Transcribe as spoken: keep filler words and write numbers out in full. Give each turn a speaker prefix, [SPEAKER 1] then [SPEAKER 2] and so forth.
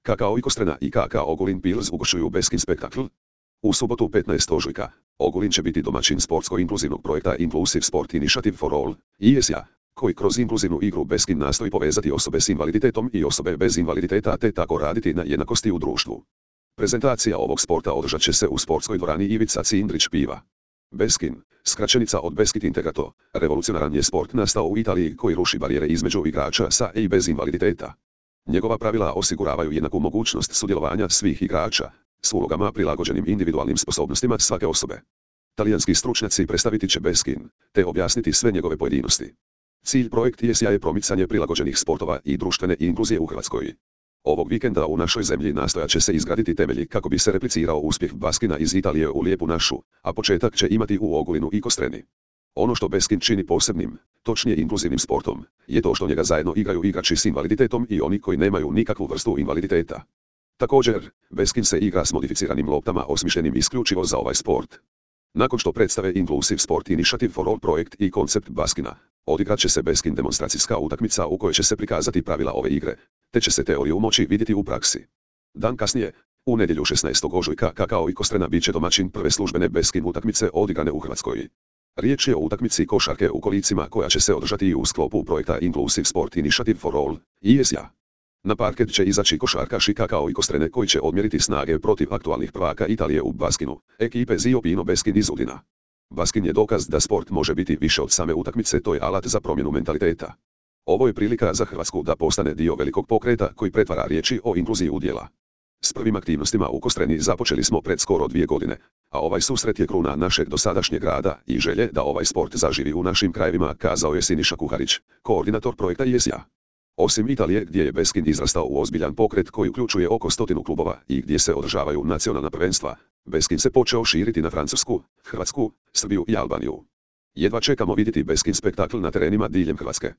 [SPEAKER 1] K K O Ikostrena i K K O Ogulin Pils ugošuju Beskin spektakl. U subotu petnaestog ožujka, Ogulin će biti domaćin sportsko-inkluzivnog projekta Inclusive Sport Initiative for All, I S A, koji kroz inkluzivnu igru Beskin nastoji povezati osobe s invaliditetom i osobe bez invaliditeta te tako raditi na jednakosti u društvu. Prezentacija ovog sporta održat će se u sportskoj dvorani Ivica Cindrić Piva. Beskin, skraćenica od Beskid Integrato, revolucionaran je sport nastao u Italiji koji ruši barijere između igrača sa i bez invaliditeta. Njegova pravila osiguravaju jednaku mogućnost sudjelovanja svih igrača, s ulogama prilagođenim individualnim sposobnostima svake osobe. Talijanski stručnjaci predstaviti će Beskin, te objasniti sve njegove pojedinosti. Cilj projekt I S A je promicanje prilagođenih sportova i društvene inkluzije u Hrvatskoj. Ovog vikenda u našoj zemlji nastojat će se izgraditi temelji kako bi se replicirao uspjeh Beskina iz Italije u Lijepu našu, a početak će imati u Ogulinu i Kostreni. Ono što Beskin čini posebnim, točnije inkluzivnim sportom, je to što njega zajedno igraju igrači s invaliditetom i oni koji nemaju nikakvu vrstu invaliditeta. Također, Beskin se igra s modificiranim loptama osmišljenim isključivo za ovaj sport. Nakon što predstave Inclusive Sport Initiative for All projekt i koncept Beskina, odigrat će se Beskin demonstracijska utakmica u kojoj će se prikazati pravila ove igre, te će se teoriju moći vidjeti u praksi. Dan kasnije, u nedjelju šesnaestog ožujka K K O Ikostrena bit će domaćin prve službene Beskin utakmice odigrane u Hrvatskoj. Riječ je o utakmici košarke u kolicima koja će se održati i u sklopu projekta Inclusive Sport Initiative for All, I S A. Na parket će izaći košarkaši K K O Ikostrene koji će odmjeriti snage protiv aktualnih prvaka Italije u baskinu, ekipe Zio Pino Beskin iz Udina. Baskin je dokaz da sport može biti više od same utakmice, to je alat za promjenu mentaliteta. Ovo je prilika za Hrvatsku da postane dio velikog pokreta koji pretvara riječi o inkluziji u djela. S prvim aktivnostima u Kostreni započeli smo pred skoro dvije godine, a ovaj susret je kruna našeg dosadašnjeg rada i želje da ovaj sport zaživi u našim krajevima, kazao je Siniša Kuharić, koordinator projekta I S A. Osim Italije gdje je Beskin izrastao u ozbiljan pokret koji uključuje oko stotinu klubova i gdje se održavaju nacionalna prvenstva, Beskin se počeo širiti na Francusku, Hrvatsku, Srbiju i Albaniju. Jedva čekamo vidjeti Beskin spektakl na terenima diljem Hrvatske.